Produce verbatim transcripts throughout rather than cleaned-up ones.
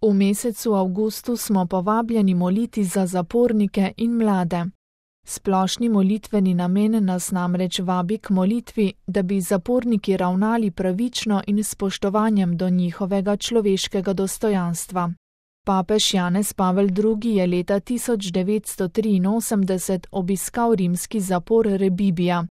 V mesecu avgustu smo povabljeni moliti za zapornike in mlade. Splošni molitveni namen nas namreč vabi k molitvi, da bi zaporniki ravnali pravično in s spoštovanjem do njihovega človeškega dostojanstva. Papež Janez Pavel drugi. je leta tisoč devetsto triinosemdeset obiskal rimski zapor Rebibbia.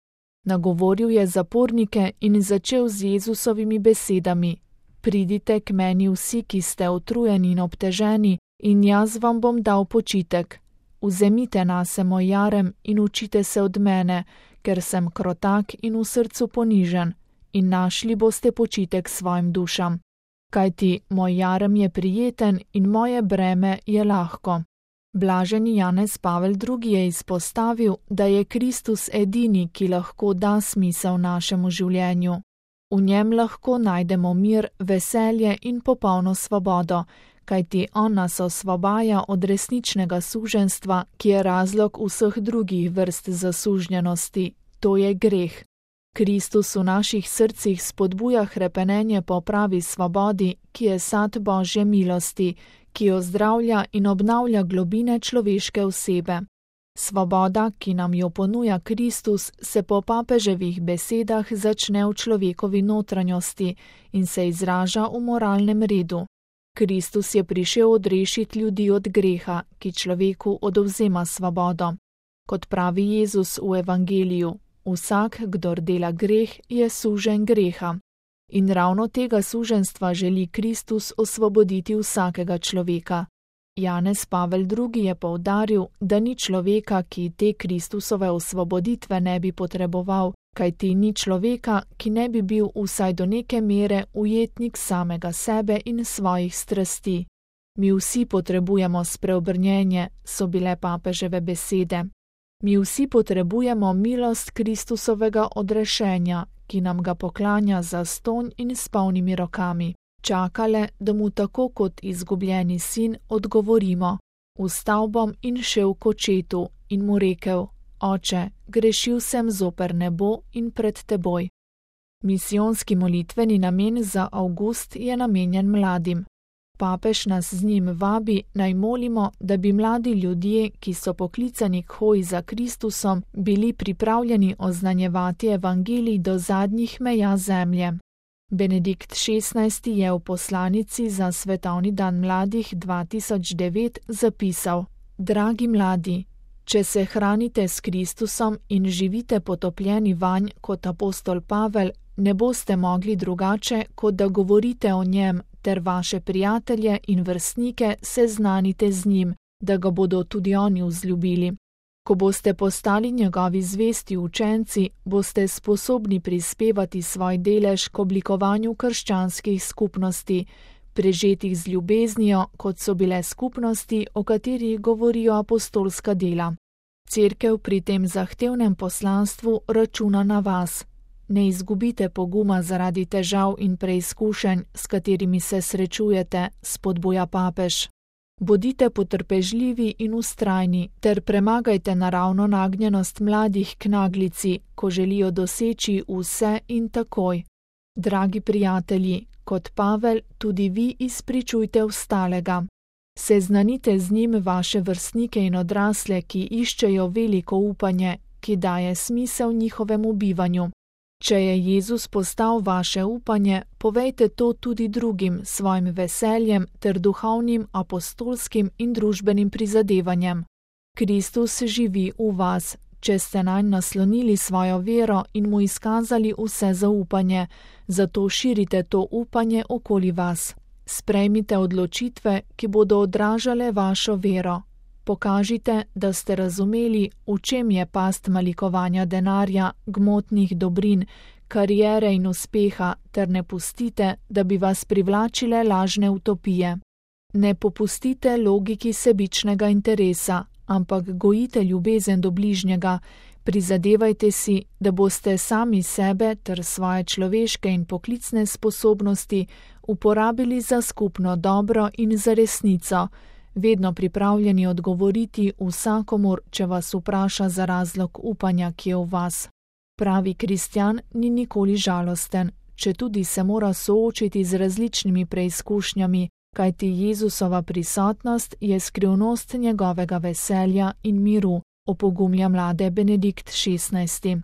Nagovoril je zapornike in začel z Jezusovimi besedami: Pridite k meni vsi, ki ste utrujeni in obteženi, in jaz vam bom dal počitek. Vzemite nase moj jarem in učite se od mene, ker sem krotak in v srcu ponižen, in našli boste počitek svojim dušam. Kajti moj jarem je prijeten in moje breme je lahko. Blaženi Janez Pavel drugi. je izpostavil, da je Kristus edini, ki lahko da smisel našemu življenju. V njem lahko najdemo mir, veselje in popolno svobodo, kajti on nas osvobaja od resničnega suženjstva, ki je razlog vseh drugih vrst zasužnjenosti, to je greh. Kristus v naših srcih spodbuja hrepenenje po pravi svobodi, ki je sad Božje milosti, ki ozdravlja in obnavlja globine človeške osebe. Svoboda, ki nam jo ponuja Kristus, se po papeževih besedah začne v človekovi notranjosti in se izraža v moralnem redu. Kristus je prišel odrešiti ljudi od greha, ki človeku odvzema svobodo. Kot pravi Jezus v evangeliju, vsak, kdor dela greh, je suženj greha. In ravno tega suženjstva želi Kristus osvoboditi vsakega človeka. Janez Pavel drugi. je poudaril, da ni človeka, ki te Kristusove osvoboditve ne bi potreboval, kajti ni človeka, ki ne bi bil vsaj do neke mere ujetnik samega sebe in svojih strasti. Mi vsi potrebujemo spreobrnjenje, so bile papeževe besede. Mi vsi potrebujemo milost Kristusovega odrešenja, ki nam ga poklanja zastonj in s polnimi rokami. Čakale, da mu tako kot izgubljeni sin odgovorimo: Vstal bom in šel k očetu in mu rekel: Oče, grešil sem zoper nebo in pred teboj. Misijonski molitveni namen za avgust je namenjen mladim. Papež nas z njim vabi, naj molimo, da bi mladi ljudje, ki so poklicani k hoji za Kristusom, bili pripravljeni oznanjevati evangelij do zadnjih meja zemlje. Benedikt šestnajsti. je v poslanici za Svetovni dan mladih dva tisoč devet zapisal: Dragi mladi, če se hranite s Kristusom in živite potopljeni vanj kot apostol Pavel, ne boste mogli drugače, kot da govorite o njem, ter vaše prijatelje in vrstnike seznanite z njim, da ga bodo tudi oni vzljubili. Ko boste postali njegovi zvesti učenci, boste sposobni prispevati svoj delež k oblikovanju krščanskih skupnosti, prežetih z ljubeznijo, kot so bile skupnosti, o katerih govorijo apostolska dela. Cerkev pri tem zahtevnem poslanstvu računa na vas. Ne izgubite poguma zaradi težav in preizkušenj, s katerimi se srečujete, spodbuja papež. Bodite potrpežljivi in vztrajni ter premagajte naravno nagnjenost mladih k naglici, ko želijo doseči vse in takoj. Dragi prijatelji, kot Pavel, tudi vi izpričujte ostalega. Seznanite z njim vaše vrstnike in odrasle, ki iščejo veliko upanje, ki daje smisel njihovemu bivanju. Če je Jezus postal vaše upanje, povejte to tudi drugim svojim veseljem ter duhovnim, apostolskim in družbenim prizadevanjem. Kristus živi v vas, če ste nanj naslonili svojo vero in mu izkazali vse zaupanje, zato širite to upanje okoli vas. Sprejmite odločitve, ki bodo odražale vašo vero. Pokažite, da ste razumeli, v čem je past malikovanja denarja, gmotnih dobrin, kariere in uspeha, ter ne pustite, da bi vas privlačile lažne utopije. Ne popustite logiki sebičnega interesa, ampak gojite ljubezen do bližnjega, prizadevajte si, da boste sami sebe ter svoje človeške in poklicne sposobnosti uporabili za skupno dobro in za resnico, vedno pripravljeni odgovoriti vsakomur, če vas vpraša za razlog upanja, ki je v vas. Pravi kristjan ni nikoli žalosten, četudi se mora soočiti z različnimi preizkušnjami, kajti Jezusova prisotnost je skrivnost njegovega veselja in miru, opogumlja mlade Benedikt šestnajsti.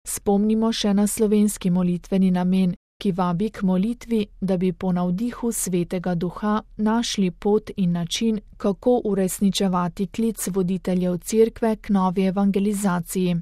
Spomnimo še na slovenski molitveni namen, ki vabi k molitvi, da bi po navdihu Svetega Duha našli pot in način, kako uresničevati klic voditeljev Cerkve k novi evangelizaciji.